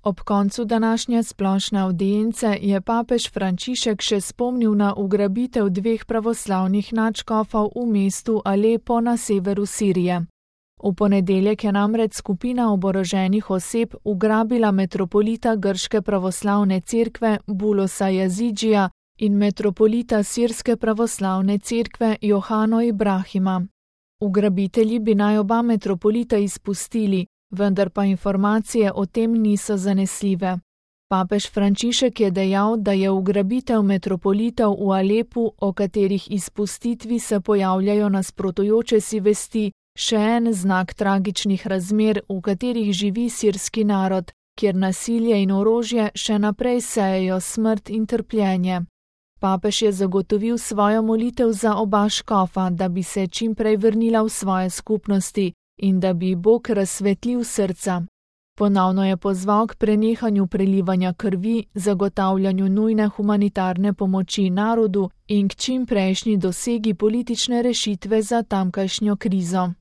Ob koncu današnje splošne avdience je papež Frančišek še spomnil na ugrabitev dveh pravoslavnih nadškofov v mestu Alepo na severu Sirije. V ponedeljek je namreč skupina oboroženih oseb ugrabila metropolita grške pravoslavne cerkve Bulosa Yazidžija in metropolita sirske pravoslavne cerkve Johano Ibrahima. Ugrabitelji bi naj oba metropolita izpustili, vendar pa informacije o tem niso zanesljive. Papež Frančišek je dejal, da je ugrabitev metropolitov v Alepu, o katerih izpustitvi se pojavljajo nasprotujoče si vesti, še en znak tragičnih razmer, v katerih živi sirski narod, kjer nasilje in orožje še naprej sejejo smrt in trpljenje. Papež je zagotovil svojo molitev za oba škofa, da bi se čim prej vrnila v svoje skupnosti in da bi Bog razsvetlil srca. Ponovno je pozval k prenehanju prelivanja krvi, zagotavljanju nujne humanitarne pomoči narodu in k čim prejšnji dosegi politične rešitve za tamkajšnjo krizo.